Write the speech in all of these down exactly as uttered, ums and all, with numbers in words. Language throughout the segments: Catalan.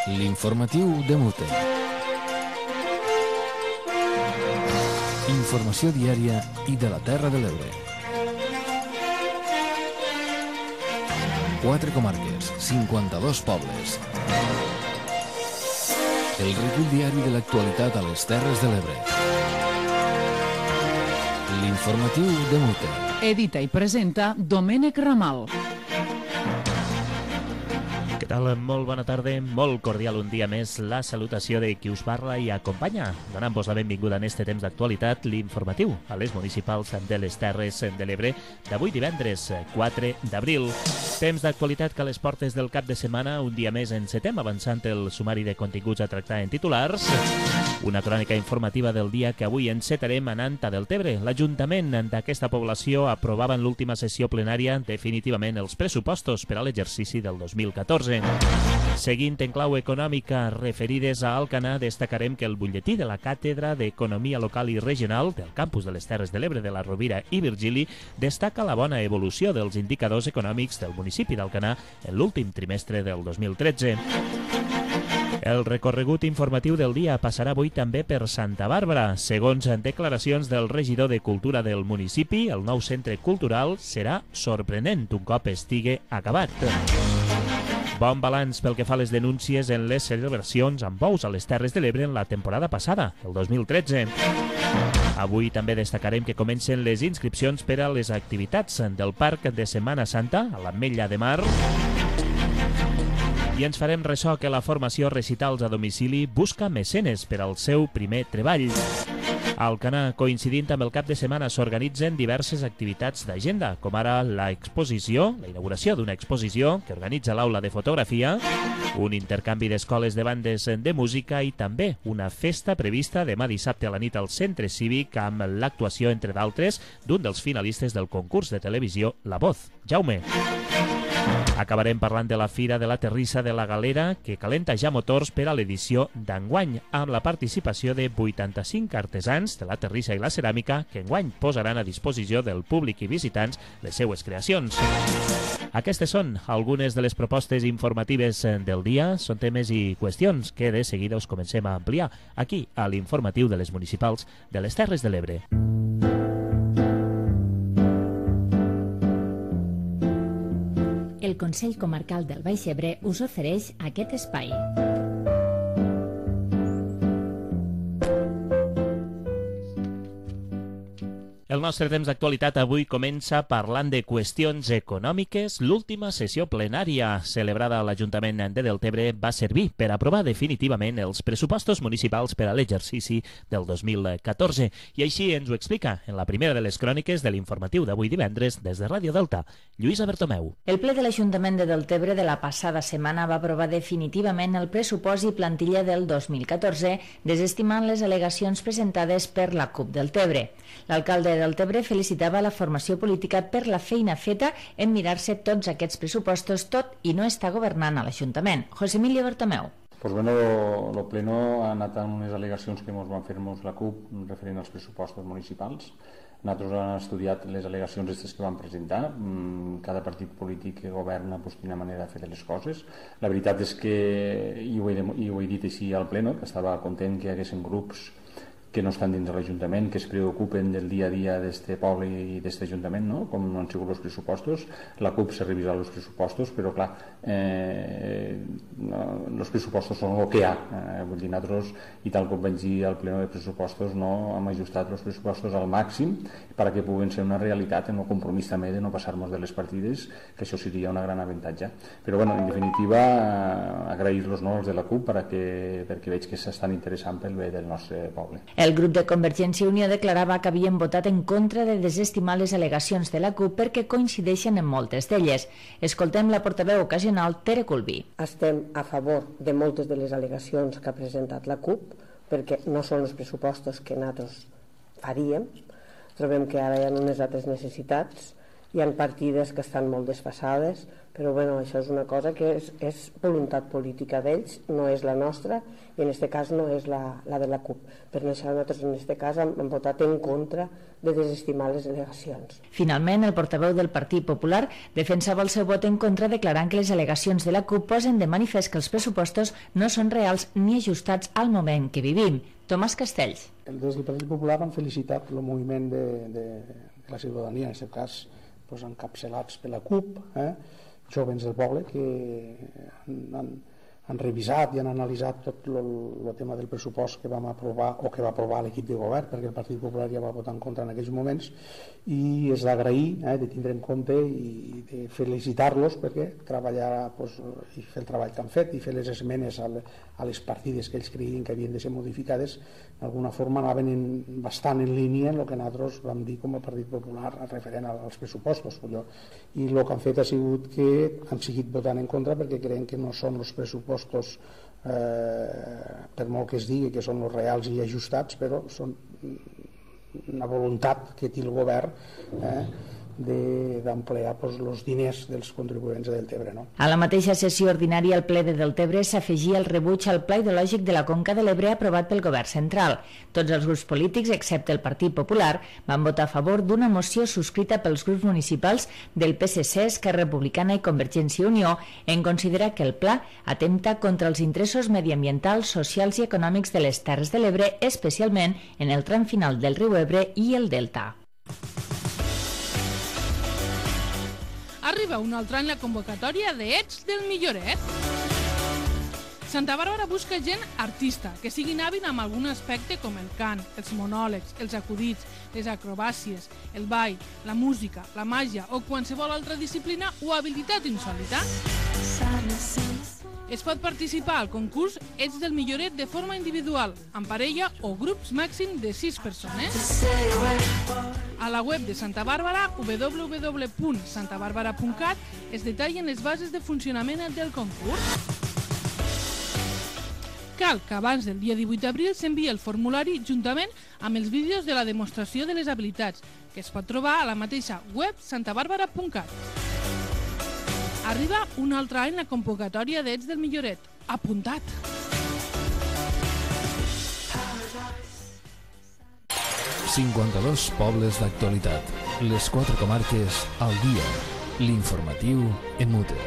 L'informatiu de Mute. Informació diària i de la Terra de l'Ebre. Quatre comarques, cinquanta-dos pobles. El recull diari de l'actualitat a les Terres de l'Ebre. L'informatiu de Mute. Edita i presenta Domènec Ramal. Què tal? Molt bona tarda, molt cordial un dia més la salutació de qui us parla i acompanya, donant-vos la benvinguda en este temps d'actualitat, l'informatiu a les municipals de les Terres de l'Ebre d'avui divendres quatre d'abril. Temps d'actualitat que a les portes del cap de setmana un dia més encetem avançant el sumari de continguts a tractar en titulars. Una crònica informativa del dia que avui encetarem anant a Deltebre. L'Ajuntament d'aquesta població aprovava en l'última sessió plenària definitivament els pressupostos per a l'exercici del dos mil catorze. Seguint en clau econòmica referides a Alcanar, destacarem que el butlletí de la Càtedra d'Economia Local i Regional del campus de les Terres de l'Ebre de la Rovira i Virgili destaca la bona evolució dels indicadors econòmics del municipi d'Alcanar en l'últim trimestre del dos mil tretze. El recorregut informatiu del dia passarà avui també per Santa Bàrbara. Segons declaracions del regidor de Cultura del municipi, el nou centre cultural serà sorprenent un cop estigui acabat. Bon balanç pel que fa a les denúncies en les celebracions amb bous a les Terres de l'Ebre en la temporada passada, el dos mil tretze. Avui també destacarem que comencen les inscripcions per a les activitats del Parc de Setmana Santa a l'Ametlla de Mar. I ens farem ressò que la formació Recitals a Domicili busca mecenes per al seu primer treball. A Alcanar, coincidint amb el cap de setmana, s'organitzen diverses activitats d'agenda, com ara l'exposició, la inauguració d'una exposició que organitza l'Aula de Fotografia, un intercanvi d'escoles de bandes de música i també una festa prevista demà dissabte a la nit al Centre Cívic amb l'actuació, entre d'altres, d'un dels finalistes del concurs de televisió La Voz, Jaume. Acabarem parlant de la Fira de la Terrissa de la Galera, que calenta ja motors per a l'edició d'enguany, amb la participació de vuitanta-cinc artesans de la terrissa i la ceràmica que enguany posaran a disposició del públic i visitants les seues creacions. Aquestes són algunes de les propostes informatives del dia. Són temes i qüestions que de seguida us comencem a ampliar aquí a l'informatiu de les municipals de les Terres de l'Ebre. El Consell Comarcal del Baix Ebre us ofereix aquest espai. El nostre temps d'actualitat avui comença parlant de qüestions econòmiques. L'última sessió plenària celebrada a l'Ajuntament de Deltebre va servir per aprovar definitivament els pressupostos municipals per a l'exercici del dos mil catorze. I així ens ho explica en la primera de les cròniques de l'informatiu d'avui divendres des de Ràdio Delta, Lluïsa Bertomeu. El ple de l'Ajuntament de Deltebre de la passada setmana va aprovar definitivament el pressupost i plantilla del dos mil catorze, desestimant les al·legacions presentades per la CUP Deltebre. L'alcalde de Deltebre felicitava la formació política per la feina feta en mirar-se tots aquests pressupostos, tot i no està governant a l'Ajuntament. José Emilio Bertomeu. Pues bueno, el pleno ha anat amb unes al·legacions que ens van fer-nos la CUP referent als pressupostos municipals. Nosaltres hem estudiat les al·legacions aquestes que van presentar. Cada partit polític que governa pues, quina manera de fer les coses. La veritat és que, i ho he, i ho he dit així al pleno, que estava content que hi haguessin grups que no estan dins de l'Ajuntament, que es preocupen del dia a dia d'este poble i d'este Ajuntament, no? Com no han sigut els pressupostos. La CUP s'ha revisat els pressupostos, però clar, eh, no, els pressupostos són el que hi ha. Eh, vull dir, nosaltres, i tal com vaig dir al pleno de pressupostos, no hem ajustat els pressupostos al màxim perquè puguen ser una realitat en el compromís també de no passar-nos de les partides, que això seria una gran avantatge. Però bueno, en definitiva, eh, agrair-los no, els de la CUP perquè, perquè veig que s'estan interessant pel bé del nostre poble. El grup de Convergència i Unió declarava que havien votat en contra de desestimar les al·legacions de la CUP perquè coincideixen en moltes d'elles. Escoltem la portaveu ocasional Tere Colbí. Estem a favor de moltes de les al·legacions que ha presentat la CUP perquè no són els pressupostos que nosaltres faríem. Trobem que ara hi ha unes altres necessitats hi ha partides que estan molt desfasades, però bueno, això és una cosa que és, és voluntat política d'ells, no és la nostra, i en aquest cas no és la, la de la CUP. Per això nosaltres en aquest cas hem, hem votat en contra de desestimar les al·legacions. Finalment, el portaveu del Partit Popular defensava el seu vot en contra declarant que les al·legacions de la CUP posen de manifest que els pressupostos no són reals ni ajustats al moment que vivim. Tomàs Castells. Des del Partit Popular han felicitat el moviment de, de, de la ciutadania, en aquest cas doncs, encapçalats per la CUP, eh? Jovens del poble que han, han, han revisat i han analitzat tot el tema del pressupost que vam aprovar o que va aprovar l'equip de govern, perquè el Partit Popular ja va votar en contra en aquells moments, i és d'agrair, eh, de tindre en compte i de felicitar-los perquè treballar doncs, i fer el treball que han fet i fer les esmenes a, le, a les partides que ells creien que havien de ser modificades d'alguna forma anaven en, bastant en línia amb el que nosaltres vam dir com a Partit Popular referent als pressupostos. I el que han fet ha sigut que han seguit votant en contra perquè creuen que no són els pressupostos, eh, per molt que es digui que són els reals i ajustats, però són una voluntat que té el govern eh, d'emplear doncs, els diners dels contribuents de Deltebre. No? A la mateixa sessió ordinària al ple de Deltebre s'afegia el rebuig al Pla Hidrològic de la Conca de l'Ebre aprovat pel govern central. Tots els grups polítics, excepte el Partit Popular, van votar a favor d'una moció subscrita pels grups municipals del P S C, Esquerra Republicana i Convergència i Unió en considerar que el pla atempta contra els interessos mediambientals, socials i econòmics de les Terres de l'Ebre, especialment en el tram final del riu Ebre i el Delta. Arriba un altre any la convocatòria de Ets del Milloret. Santa Bàrbara busca gent artista, que siguin hàbil amb algun aspecte com el cant, els monòlegs, els acudits, les acrobàcies, el ball, la música, la màgia o qualsevol altra disciplina o habilitat insòlita. Es pot participar al concurs Ets del Milloret de forma individual, en parella o grups màxim de sis persones. A la web de Santa Bàrbara, w w w punt santa bàrbara punt cat, es detallen les bases de funcionament del concurs. Cal que abans del dia divuit d'abril s'enviï el formulari juntament amb els vídeos de la demostració de les habilitats, que es pot trobar a la mateixa web santa bàrbara punt cat. Arriba un altre any la convocatòria d'Ets del Milloret. Apuntat! cinquanta-dos pobles d'actualitat. Les quatre comarques al dia. L'informatiu en mute.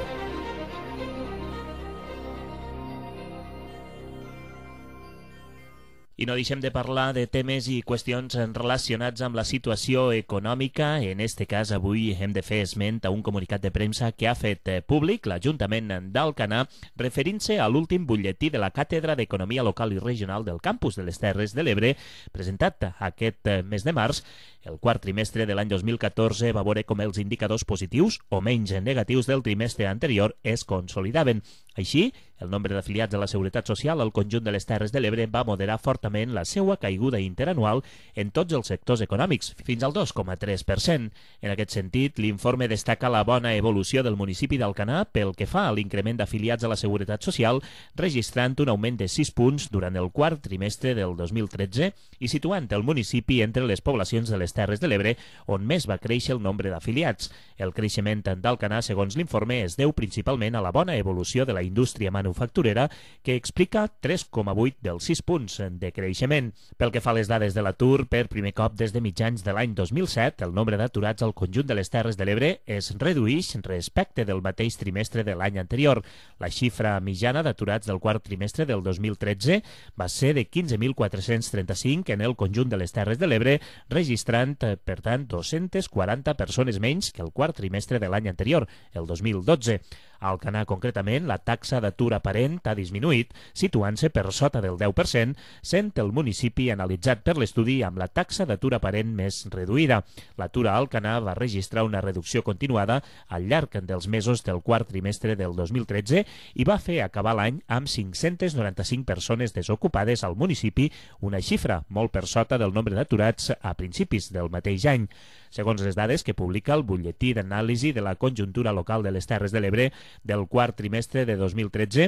I no deixem de parlar de temes i qüestions relacionats amb la situació econòmica. En este cas, avui hem de fer esment a un comunicat de premsa que ha fet públic l'Ajuntament d'Alcanar referint-se a l'últim butlletí de la Càtedra d'Economia Local i Regional del Campus de les Terres de l'Ebre, presentat aquest mes de març. El quart trimestre de l'any dos mil catorze va veure com els indicadors positius o menys negatius del trimestre anterior es consolidaven. Així, el nombre d'afiliats a la Seguretat Social al conjunt de les Terres de l'Ebre va moderar fortament la seva caiguda interanual en tots els sectors econòmics, fins al dos coma tres per cent. En aquest sentit, l'informe destaca la bona evolució del municipi d'Alcanar pel que fa a l'increment d'afiliats a la Seguretat Social, registrant un augment de sis punts durant el quart trimestre del dos mil tretze i situant el municipi entre les poblacions de les Terres de l'Ebre on més va créixer el nombre d'afiliats. El creixement d'Alcanar, segons l'informe, es deu principalment a la bona evolució de la indústria manufacturera, que explica tres coma vuit dels sis punts de creixement. Pel que fa a les dades de l'atur, per primer cop des de mitjans de l'any dos mil set, el nombre d'aturats al conjunt de les Terres de l'Ebre es reduïx respecte del mateix trimestre de l'any anterior. La xifra mitjana d'aturats del quart trimestre del dos mil tretze va ser de quinze mil quatre-cents trenta-cinc en el conjunt de les Terres de l'Ebre, registrant, per tant, dos-centes quaranta persones menys que el quart trimestre de l'any anterior, el dos mil dotze. A Alcanar, concretament, la taxa d'atur aparent ha disminuït, situant-se per sota del deu per cent, sent el municipi analitzat per l'estudi amb la taxa d'atur aparent més reduïda. L'atur a Alcanar va registrar una reducció continuada al llarg dels mesos del quart trimestre del dos mil tretze i va fer acabar l'any amb cinc-centes noranta-cinc persones desocupades al municipi, una xifra molt per sota del nombre d'aturats a principis del mateix any. Segons les dades que publica el butlletí d'anàlisi de la conjuntura local de les Terres de l'Ebre del quart trimestre de dos mil tretze,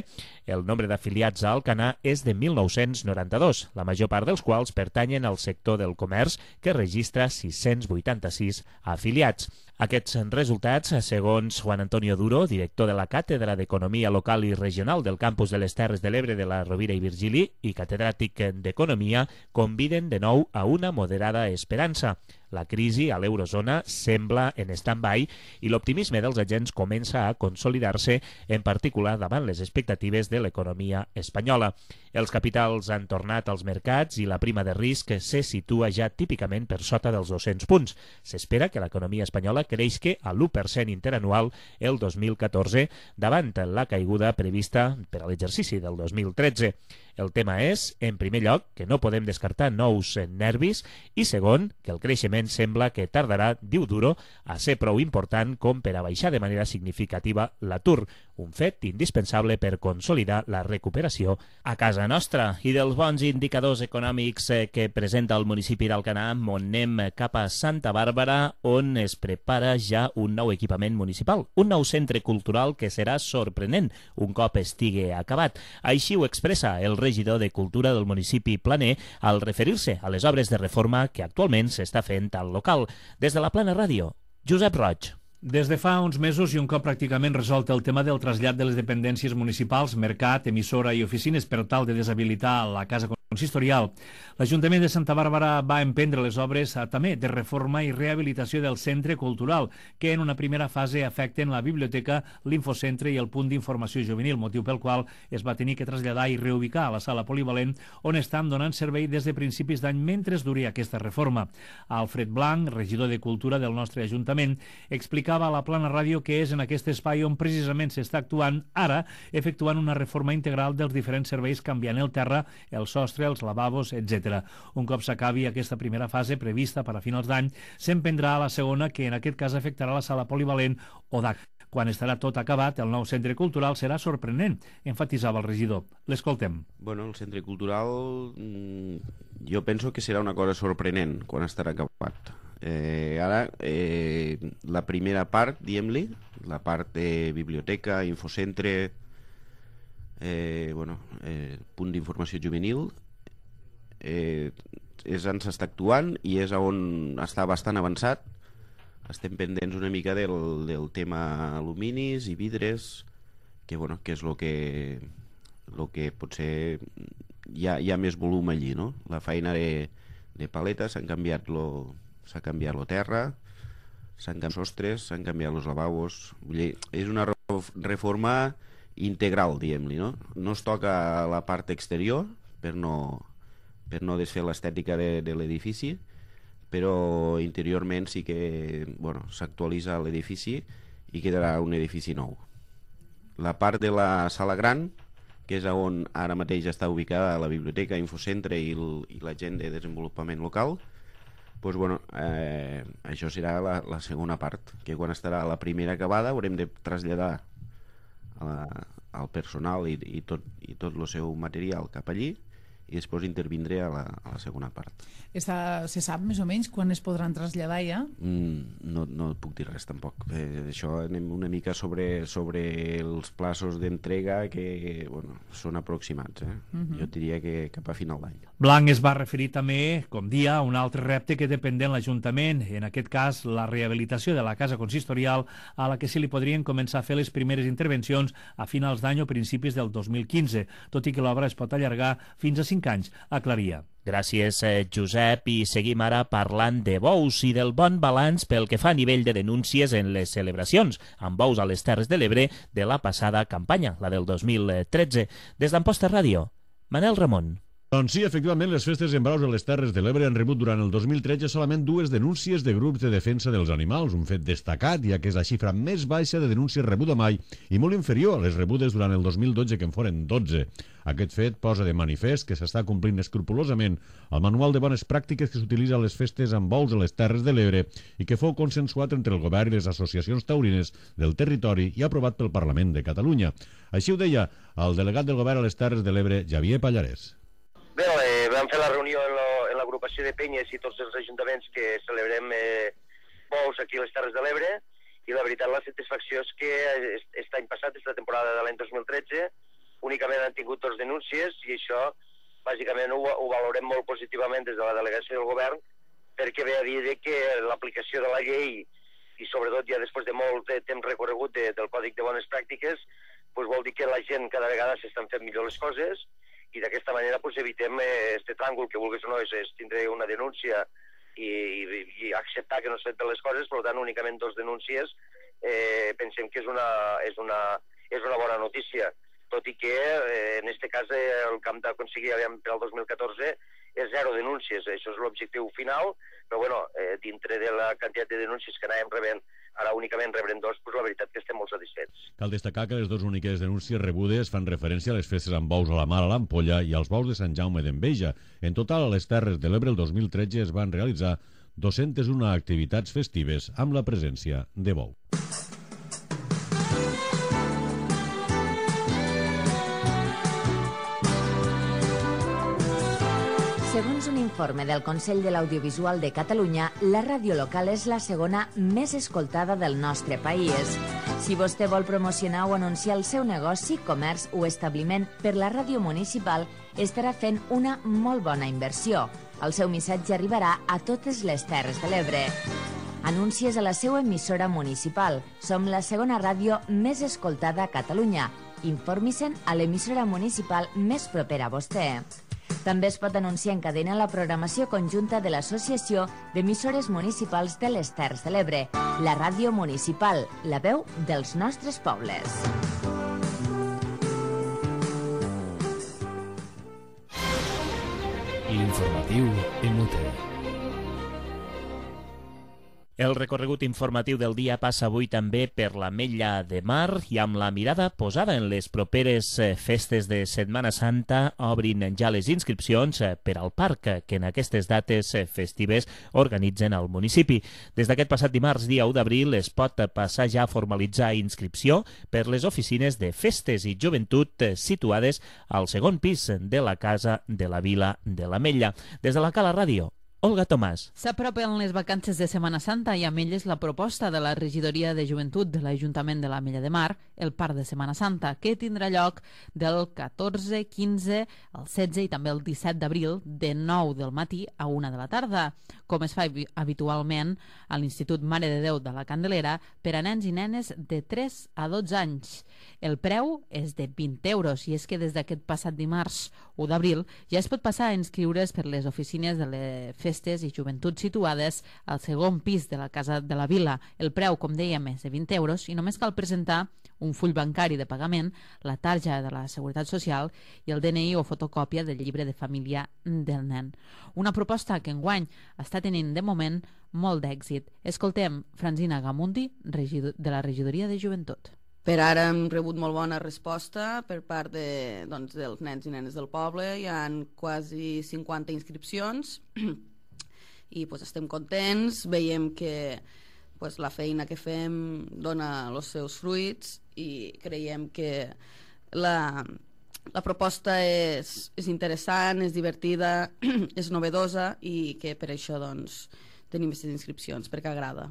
el nombre d'afiliats a Alcanar és de mil nou-cents noranta-dos, la major part dels quals pertanyen al sector del comerç, que registra sis-cents vuitanta-sis afiliats. Aquests resultats, segons Juan Antonio Duro, director de la Càtedra d'Economia Local i Regional del Campus de les Terres de l'Ebre de la Rovira i Virgili i catedràtic d'Economia, conviden de nou a una moderada esperança. La crisi a l'eurozona sembla en stand-by i l'optimisme dels agents comença a consolidar-se, en particular davant les expectatives de l'economia espanyola. Els capitals han tornat als mercats i la prima de risc se situa ja típicament per sota dels dos-cents punts. S'espera que l'economia espanyola creixi a l'u per cent interanual el dos mil catorze, davant la caiguda prevista per a l'exercici del dos mil tretze. El tema és, en primer lloc, que no podem descartar nous nervis i, segon, que el creixement sembla que tardarà, diu Duro, a ser prou important com per a baixar de manera significativa l'atur, un fet indispensable per consolidar la recuperació a casa nostra. I dels bons indicadors econòmics que presenta el municipi d'Alcanar, anem cap a Santa Bàrbara, on es prepara ja un nou equipament municipal, un nou centre cultural que serà sorprenent un cop estigui acabat. Així ho expressa el regidor de Cultura del municipi Planer al referir-se a les obres de reforma que actualment s'està fent al local. Des de la Plana Ràdio, Josep Roig. Des de fa uns mesos i un cop pràcticament resolt el tema del trasllat de les dependències municipals, mercat, emissora i oficines per tal de deshabilitar la casa consistorial, l'Ajuntament de Santa Bàrbara va emprendre les obres a, també de reforma i rehabilitació del centre cultural, que en una primera fase afecten la biblioteca, l'infocentre i el punt d'informació juvenil, motiu pel qual es va tenir que traslladar i reubicar a la sala polivalent on estan donant servei des de principis d'any mentre duri aquesta reforma. Alfred Blanc, regidor de Cultura del nostre Ajuntament, explicava a la Plana Ràdio que és en aquest espai on precisament s'està actuant ara, efectuant una reforma integral dels diferents serveis, canviant el terra, el sostre, els lavabos, etcètera. Un cop s'acabi aquesta primera fase prevista per a finals d'any, s'emprendrà la segona, que en aquest cas afectarà la sala polivalent o D A C. Quan estarà tot acabat, el nou centre cultural serà sorprenent, enfatitzava el regidor. L'escoltem. Bueno, el centre cultural jo penso que serà una cosa sorprenent quan estarà acabat. Eh, ara, eh, la primera part, diguem-li, la part de biblioteca, infocentre, eh, bueno, eh, punt d'informació juvenil, eh, és on s'està actuant i és on està bastant avançat. Estem pendents una mica del, del tema aluminis i vidres, que, bueno, que és el que, lo que potser hi ha, hi ha més volum allí, no? La feina de, de paleta, s'han canviat lo, s'ha canviat la terra, s'han canviat els sostres, s'han canviat els lavabos. Vull dir, és una reforma integral, diguem-li, no? No es toca la part exterior per no, per no desfer l'estètica de, de l'edifici, però interiorment sí que, bueno, s'actualitza l'edifici i quedarà un edifici nou. La part de la sala gran, que és on ara mateix està ubicada la biblioteca, infocentre i, el, i la gent de desenvolupament local, doncs, bueno, eh, això serà la, la segona part, que quan estarà la primera acabada haurem de traslladar a la, al personal i, i, tot, i tot el seu material cap allí, i després intervindré a la, a la segona part. Està, se sap més o menys quan es podran traslladar ja? Mm, no, no puc dir res tampoc. Eh, això anem una mica sobre, sobre els plaços d'entrega que, bueno, són aproximats. Eh? Uh-huh. Jo diria que cap a final d'any. Blanc es va referir també, com dia, a un altre repte que depèn de l'Ajuntament, en aquest cas la rehabilitació de la casa consistorial, a la que se li podrien començar a fer les primeres intervencions a finals d'any o principis del dos mil quinze, tot i que l'obra es pot allargar fins a cinc anys, aclaria. Gràcies, Josep, i seguim ara parlant de bous i del bon balanç pel que fa a nivell de denúncies en les celebracions amb bous a les Terres de l'Ebre de la passada campanya, la del dos mil tretze. Des d'Amposta Ràdio, Manel Ramon. Doncs sí, efectivament, les festes en braus a les Terres de l'Ebre han rebut durant el dos mil tretze solament dues denúncies de grups de defensa dels animals, un fet destacat, ja que és la xifra més baixa de denúncies rebuda mai i molt inferior a les rebudes durant el dos mil dotze, que en foren dotze. Aquest fet posa de manifest que s'està complint escrupolosament el manual de bones pràctiques que s'utilitza a les festes amb bous a les Terres de l'Ebre i que fou consensuat entre el govern i les associacions taurines del territori i aprovat pel Parlament de Catalunya. Així ho deia el delegat del govern a les Terres de l'Ebre, Javier Pallarès. Bé, eh, vam fer la reunió en l'agrupació de penyes i tots els ajuntaments que celebrem eh, bous aquí a les Terres de l'Ebre, i la veritat, la satisfacció és que aquest any passat, aquesta temporada de l'any dos mil tretze, únicament han tingut dos denúncies, i això bàsicament ho, ho valorem molt positivament des de la delegació del govern, perquè ve a dir que l'aplicació de la llei i sobretot ja després de molt de temps recorregut de, del Còdic de Bones Pràctiques, pues vol dir que la gent cada vegada s'estan fent millor les coses i d'aquesta manera pues, evitem este tràngol que vulguis o no, és, és tindre una denúncia i, i, i acceptar que no s'han fet bé les coses, per tant únicament dos denúncies, eh, pensem que és una, és, una, és una bona notícia, tot i que eh, en aquest cas eh, el camp d'aconseguir per al dos mil catorze és zero denúncies, això és l'objectiu final, però bueno, eh, dintre de la quantitat de denúncies que anàvem rebent, ara únicament rebrem dos, doncs la veritat que estem molt satisfets. Cal destacar que les dues úniques denúncies rebudes fan referència a les festes amb bous a la mar a l'Ampolla i als bous de Sant Jaume d'Enveja. En total, a les Terres de l'Ebre el dos mil tretze es van realitzar dues-centes una activitats festives amb la presència de bou. Segons un informe del Consell de l'Audiovisual de Catalunya, la ràdio local és la segona més escoltada del nostre país. Si vostè vol promocionar o anunciar el seu negoci, comerç o establiment per la ràdio municipal, estarà fent una molt bona inversió. El seu missatge arribarà a totes les Terres de l'Ebre. Anuncies a la seva emissora municipal. Som la segona ràdio més escoltada a Catalunya. Informi-se'n a l'emissora municipal més propera a vostè. També es pot anunciar en cadena la programació conjunta de l'Associació d'Emissores Municipals de les Terres de l'Ebre, la ràdio municipal, la veu dels nostres pobles. L'informatiu en Muter. El recorregut informatiu del dia passa avui també per l'Ametlla de Mar i amb la mirada posada en les properes festes de Setmana Santa obrin ja les inscripcions per al parc que en aquestes dates festives organitzen al municipi. Des d'aquest passat dimarts, dia u d'abril, es pot passar ja a formalitzar inscripció per les oficines de festes i joventut situades al segon pis de la Casa de la Vila de l'Ametlla. Des de la Cala Ràdio, Olga Tomàs. S'apropen les vacances de Setmana Santa i amb elles la proposta de la Regidoria de Joventut de l'Ajuntament de l'Ametlla de Mar, el Parc de Setmana Santa, que tindrà lloc del catorze, quinze, el setze i també el disset d'abril de nou del matí a una de la tarda, com es fa habitualment a l'Institut Mare de Déu de la Candelera per a nens i nenes de tres a dotze anys. El preu és de vint euros i és que des d'aquest passat dimarts u d'abril ja es pot passar a inscriure's per les oficines de les festes i joventut situades al segon pis de la Casa de la Vila. El preu, com dèiem, és de vint euros i només cal presentar un full bancari de pagament, la tarja de la Seguretat Social i el D N I o fotocòpia del llibre de família del nen. Una proposta que enguany està tenint de moment molt d'èxit. Escoltem Francina Gamundi, de la Regidoria de Joventut. Per ara hem rebut molt bona resposta per part de, doncs, dels nens i nenes del poble. Hi ha quasi cinquanta inscripcions i pues, estem contents. Veiem que pues, la feina que fem dona els seus fruits i creiem que la, la proposta és, és interessant, és divertida, és novedosa i que per això doncs, tenim aquestes inscripcions, perquè agrada.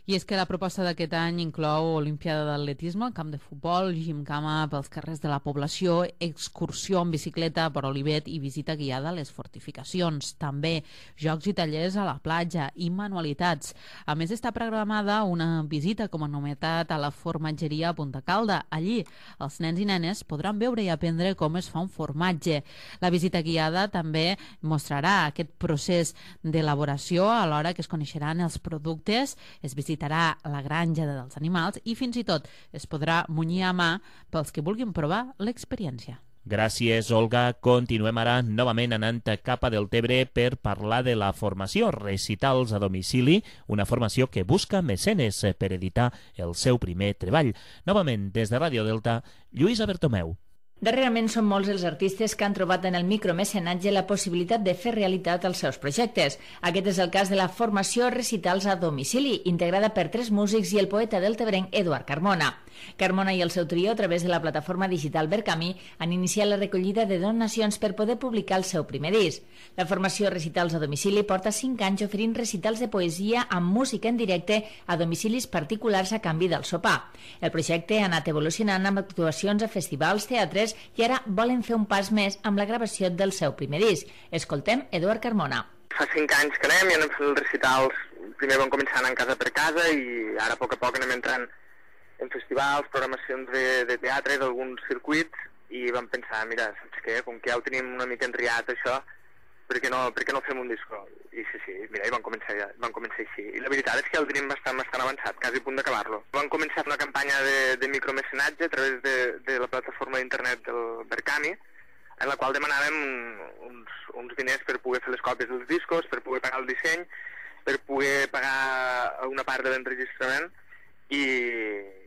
I és que la proposta d'aquest any inclou Olimpiada d'Atletisme, camp de futbol, gimcama pels carrers de la població, excursió en bicicleta per Olivet i visita guiada a les fortificacions. També jocs i tallers a la platja i manualitats. A més, està programada una visita com a novetat a la formatgeria a Punta Calda. Allí, els nens i nenes podran veure i aprendre com es fa un formatge. La visita guiada també mostrarà aquest procés d'elaboració alhora que es coneixeran els productes, es visitarà visitarà la granja dels animals i fins i tot es podrà munyir a mà pels que vulguin provar l'experiència. Gràcies, Olga. Continuem ara novament anant cap a Deltebre per parlar de la formació Recitals a domicili, una formació que busca mecenes per editar el seu primer treball. Novament, des de Ràdio Delta, Lluïsa Bertomeu. Darrerament són molts els artistes que han trobat en el micromecenatge la possibilitat de fer realitat els seus projectes. Aquest és el cas de la formació Recitals a domicili, integrada per tres músics i el poeta deltebrenc Eduard Carmona. Carmona i el seu trio, a través de la plataforma digital Vercamí, han iniciat la recollida de donacions per poder publicar el seu primer disc. La formació Recitals a domicili porta cinc anys oferint recitals de poesia amb música en directe a domicilis particulars a canvi del sopar. El projecte ha anat evolucionant amb actuacions a festivals, teatres i ara volen fer un pas més amb la gravació del seu primer disc. Escoltem Eduard Carmona. Fa cinc anys que anem i anem fent recitals primer vam començar anant casa per casa i ara a poc a poc anem entrant en festivals, programacions de, de teatre, d'alguns circuits, i vam pensar, mira, saps què, com que ja ho tenim una mica enriat això, per què no, per què no fem un disco? I sí, sí, mira, i vam començar, ja, vam començar així. I la veritat és que ja el tenim bastant, bastant avançat, quasi a punt d'acabar-lo. Vam començar una campanya de, de micromecenatge a través de, de la plataforma d'internet del Berkami, en la qual demanàvem uns, uns diners per poder fer les còpies dels discos, per poder pagar el disseny, per poder pagar una part de l'enregistrament i,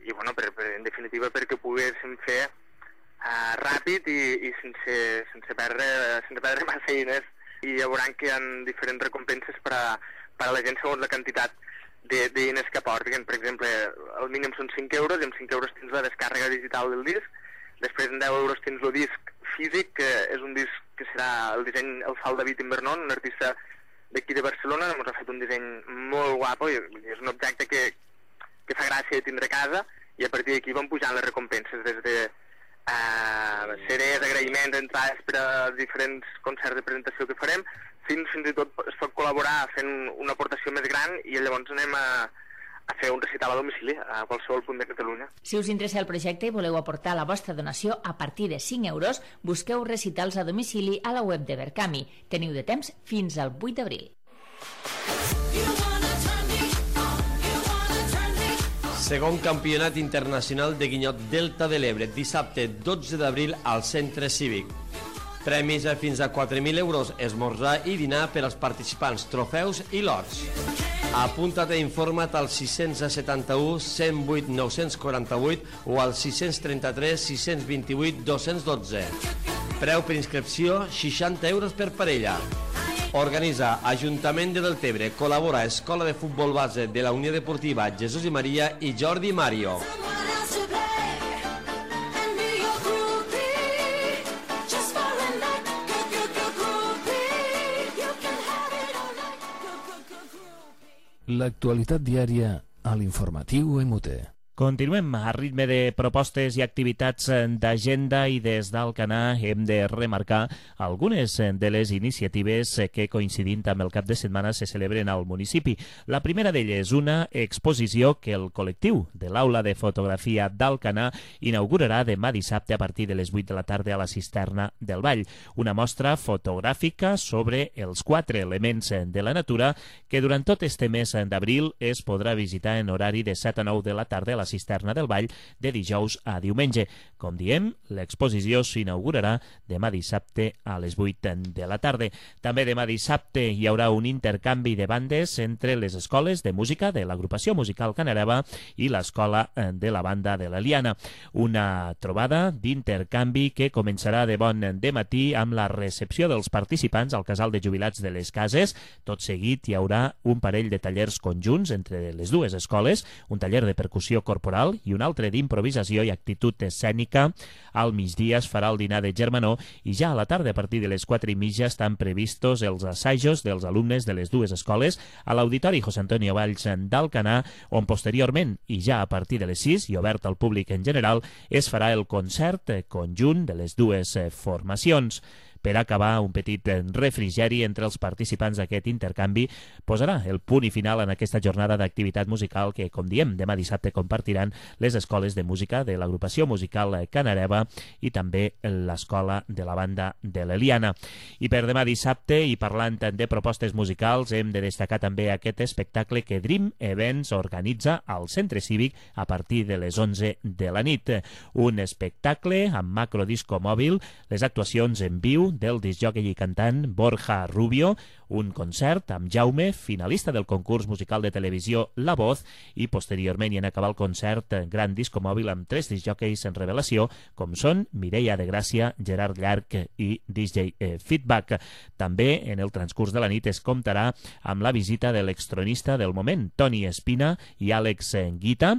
i bueno, per, per, en definitiva, perquè poguéssim fer uh, ràpid i, i sense, sense, perdre, sense perdre massa diners. I ja veuran que hi ha diferents recompenses per a, per a la gent segons la quantitat de, de diners que aportin. Per exemple, el mínim són cinc euros, i amb cinc euros tens la descàrrega digital del disc, després en deu euros tens el disc físic, que és un disc que serà el disseny, el fa el David Invernon, un artista d'aquí de Barcelona, ens ha fet un disseny molt guapo, i és un objecte que, que fa gràcia de tindre a casa, i a partir d'aquí van pujant les recompenses, des de Uh, C Ds, agraïments, entrades per als diferents concerts de presentació que farem, fins, fins i tot es pot col·laborar fent una aportació més gran i llavors anem a, a fer un recital a domicili a qualsevol punt de Catalunya. Si us interessa el projecte i voleu aportar la vostra donació a partir de cinc euros, busqueu recitals a domicili a la web de Berkami. Teniu de temps fins al vuit d'abril. Segon Campionat Internacional de Guinyot Delta de l'Ebre, dissabte dotze d'abril al Centre Cívic. Premis a fins a quatre mil euros, esmorzar i dinar per als participants, trofeus i lots. Apunta't i informa't al sis setanta-u, cent vuit, nou-cents quaranta-vuit o al sis trenta-tres, sis vint-i-vuit, dos-cents dotze. Preu per inscripció, seixanta euros per parella. Organitza Ajuntament de Deltebre, col·labora Escola de Futbol Base de la Unió Deportiva Jesús i Maria i Jordi Mario. L'actualitat diària a l'informatiu M U T. Continuem a ritme de propostes i activitats d'agenda i des d'Alcanar hem de remarcar algunes de les iniciatives que coincidint amb el cap de setmana se celebren al municipi. La primera d'elles és una exposició que el col·lectiu de l'Aula de Fotografia d'Alcanar inaugurarà demà dissabte a partir de les vuit de la tarda a la Cisterna del Vall. Una mostra fotogràfica sobre els quatre elements de la natura que durant tot este mes d'abril es podrà visitar en horari de set a nou de la tarda a la Cisterna del Vall de dijous a diumenge. Com diem, l'exposició s'inaugurarà demà dissabte a les vuit de la tarda. També demà dissabte hi haurà un intercanvi de bandes entre les escoles de música de l'agrupació musical Canareva i l'escola de la banda de l'Eliana. Una trobada d'intercanvi que començarà de bon dematí amb la recepció dels participants al casal de jubilats de les Cases. Tot seguit hi haurà un parell de tallers conjunts entre les dues escoles, un taller de percussió corporal i un altre d'improvisació i actitud escènica. Al migdia es farà el dinar de germanor i ja a la tarda, a partir de les quatre i mitja, estan previstos els assajos dels alumnes de les dues escoles a l'Auditori José Antonio Valls d'Alcanar, on posteriorment, i ja a partir de les sis, i obert al públic en general, es farà el concert conjunt de les dues formacions. Per acabar, un petit refrigeri entre els participants d'aquest intercanvi posarà el punt i final en aquesta jornada d'activitat musical que, com diem, demà dissabte compartiran les escoles de música de l'agrupació musical Canareva i també l'escola de la banda de l'Eliana. I per demà dissabte, i parlant de propostes musicals, hem de destacar també aquest espectacle que Dream Events organitza al Centre Cívic a partir de les onze de la nit. Un espectacle amb macrodisco mòbil, les actuacions en viu del discjòquei i cantant Borja Rubio, un concert amb Jaume, finalista del concurs musical de televisió La Voz, i posteriorment, i en acabar el concert, gran disco mòbil amb tres discjòqueis en revelació, com són Mireia de Gràcia, Gerard Llarc i D J Feedback. També, en el transcurs de la nit, es comptarà amb la visita de l'extronista del moment, Toni Espina i Àlex Guita,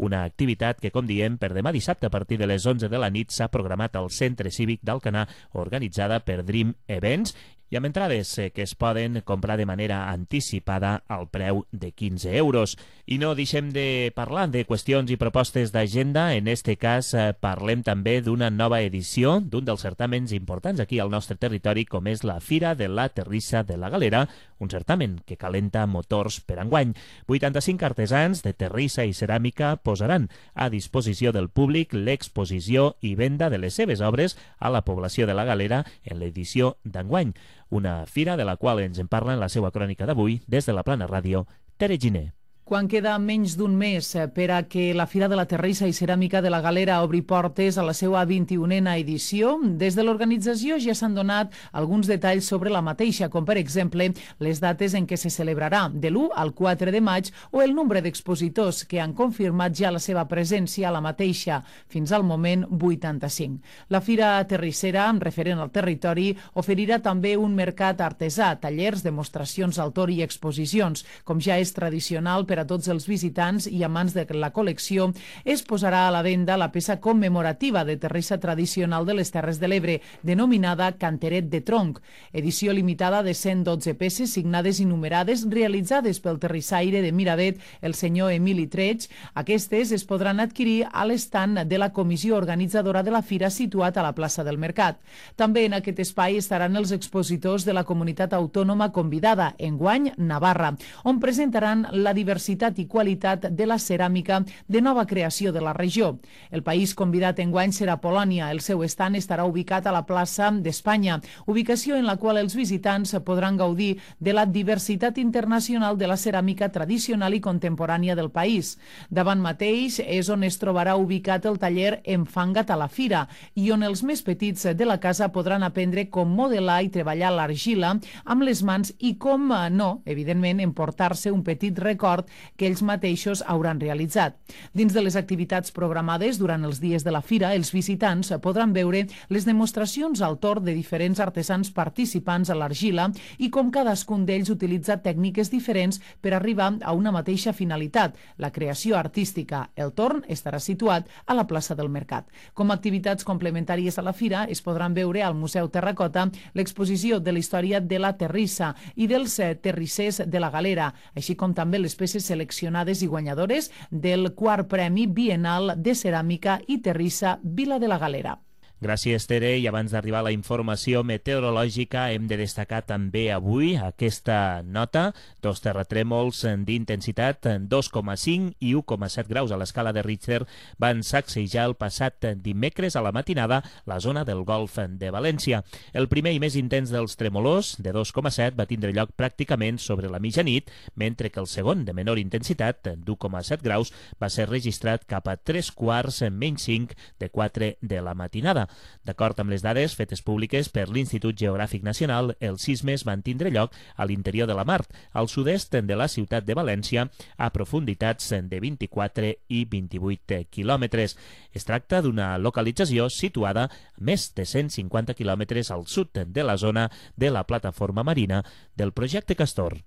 una activitat que, com diem, per demà dissabte a partir de les onze de la nit s'ha programat al Centre Cívic d'Alcanar, organitzada per Dream Events, i amb entrades que es poden comprar de manera anticipada al preu de quinze euros. I no deixem de parlar de qüestions i propostes d'agenda. En este cas parlem també d'una nova edició d'un dels certàmens importants aquí al nostre territori, com és la Fira de la Terrissa de la Galera, un certamen que calenta motors per enguany. vuitanta-cinc artesans de terrissa i ceràmica posaran a disposició del públic l'exposició i venda de les seves obres a la població de la Galera en l'edició d'enguany. Una fira de la qual ens en parla en la seva crònica d'avui des de la Plana Ràdio, Tere Giner. Quan queda menys d'un mes per a que la Fira de la Terrissa i Ceràmica de la Galera obri portes a la seva vint-i-unena edició, des de l'organització ja s'han donat alguns detalls sobre la mateixa, com per exemple les dates en què se celebrarà, de l'u al quatre de maig, o el nombre d'expositors que han confirmat ja la seva presència a la mateixa, fins al moment vuitanta-cinc. La Fira Terrissera, referent al territori, oferirà també un mercat artesà, tallers, demostracions d'autor i exposicions. Com ja és tradicional per a tots els visitants i amants de la col·lecció, es posarà a la venda la peça commemorativa de terrissa tradicional de les Terres de l'Ebre, denominada Canteret de Tronc, edició limitada de cent dotze peces signades i numerades realitzades pel terrissaire de Miravet, el senyor Emili Treig. Aquestes es podran adquirir a l'estand de la comissió organitzadora de la fira situat a la plaça del Mercat. També en aquest espai estaran els expositors de la comunitat autònoma convidada, enguany Navarra, on presentaran la diversitat i qualitat de la ceràmica de nova creació de la regió. El país convidat enguany serà Polònia. El seu estand estarà ubicat a la plaça d'Espanya, ubicació en la qual els visitants podran gaudir de la diversitat internacional de la ceràmica tradicional i contemporània del país. Davant mateix és on es trobarà ubicat el taller Enfanga't a la Fira i on els més petits de la casa podran aprendre com modelar i treballar l'argila amb les mans i com no, evidentment, emportar-se un petit record que ells mateixos hauran realitzat. Dins de les activitats programades durant els dies de la fira, els visitants podran veure les demostracions al torn de diferents artesans participants a l'argila i com cadascun d'ells utilitza tècniques diferents per arribar a una mateixa finalitat, la creació artística. El torn estarà situat a la plaça del Mercat. Com a activitats complementàries a la fira es podran veure al Museu Terracota l'exposició de la història de la terrissa i dels terrissers de la Galera, així com també les peces seleccionades i guanyadores del quart Premi Bienal de Ceràmica i Terrissa Vila de la Galera. Gràcies, Tere. I abans d'arribar a la informació meteorològica, hem de destacar també avui aquesta nota. Dos terratrèmols d'intensitat dos coma cinc i u coma set graus a l'escala de Richter van sacsejar el passat dimecres a la matinada la zona del Golf de València. El primer i més intens dels tremolors, de dos coma set, va tindre lloc pràcticament sobre la mitjanit, mentre que el segon, de menor intensitat, d'u coma set graus, va ser registrat cap a tres quarts menys cinc de quatre de la matinada. D'acord amb les dades fetes públiques per l'Institut Geogràfic Nacional, els sismes van tindre lloc a l'interior de la mar, al sud-est de la ciutat de València, a profunditats de vint-i-quatre i vint-i-vuit quilòmetres. Es tracta d'una localització situada a més de cent cinquanta quilòmetres al sud de la zona de la plataforma marina del projecte Castor.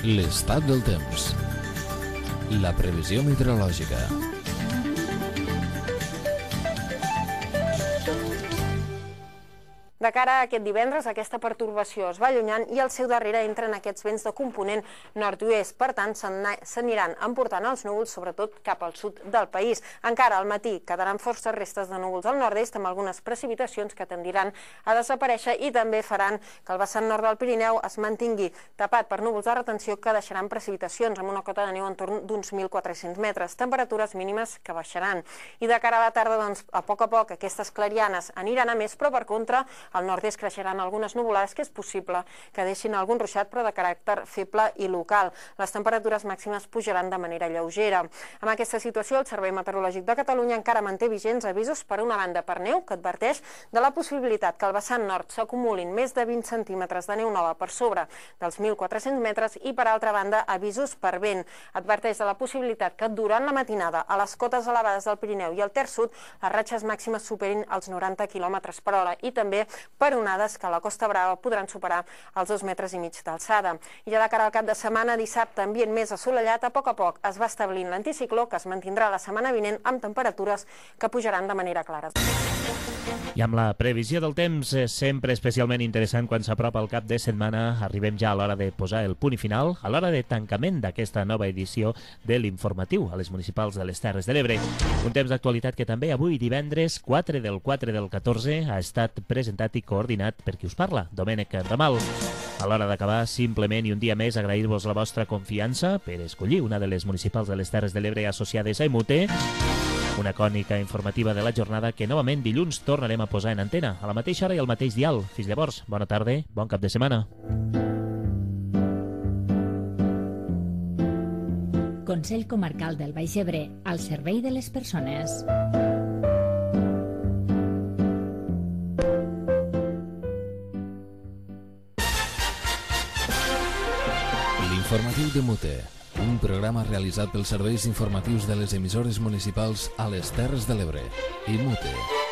L'estat del temps. La previsió meteorològica. De cara a aquest divendres, aquesta pertorbació es va allunyant i al seu darrere entren aquests vents de component nord-oest. Per tant, s'aniran emportant els núvols, sobretot cap al sud del país. Encara al matí quedaran forces restes de núvols al nord-est, amb algunes precipitacions que tendiran a desaparèixer i també faran que el vessant nord del Pirineu es mantingui tapat per núvols de retenció que deixaran precipitacions amb una cota de neu entorn d'uns mil quatre-cents metres, temperatures mínimes que baixaran. I de cara a la tarda, doncs, a poc a poc, aquestes clarianes aniran a més, però per contra, al nord-est creixeran algunes nuvolades que és possible que deixin algun ruixat, però de caràcter feble i local. Les temperatures màximes pujaran de manera lleugera. Amb aquesta situació, el Servei Meteorològic de Catalunya encara manté vigents avisos per una banda per neu que adverteix de la possibilitat que al vessant nord s'acumulin més de vint centímetres de neu nova per sobre dels mil quatre-cents metres i, per altra banda, avisos per vent. Adverteix de la possibilitat que durant la matinada a les cotes elevades del Pirineu i al Ter Sud les ratxes màximes superin els noranta quilòmetres per hora i també per onades que a la Costa Brava podran superar els dos metres i mig d'alçada. I ja de cara al cap de setmana, dissabte, ambient més assolellat, a poc a poc es va establint l'anticicló que es mantindrà la setmana vinent amb temperatures que pujaran de manera clara. I amb la previsió del temps, sempre especialment interessant quan s'apropa el cap de setmana, arribem ja a l'hora de posar el punt i final, a l'hora de tancament d'aquesta nova edició de l'informatiu a les municipals de les Terres de l'Ebre. Un temps d'actualitat que també avui, divendres, quatre del quatre del catorze, ha estat presentat i coordinat per qui us parla, Domènec Ramal. A l'hora d'acabar, simplement i un dia més, agrair-vos la vostra confiança per escollir una de les municipals de les Terres de l'Ebre associades a Emute, una cònica informativa de la jornada que novament dilluns tornarem a posar en antena, a la mateixa hora i al mateix dial. Fins llavors, bona tarda, bon cap de setmana. Consell Comarcal del Baix Ebre, al servei de les persones. L'informatiu de Mute, un programa realitzat pels serveis informatius de les emissores municipals a les Terres de l'Ebre. I Mute.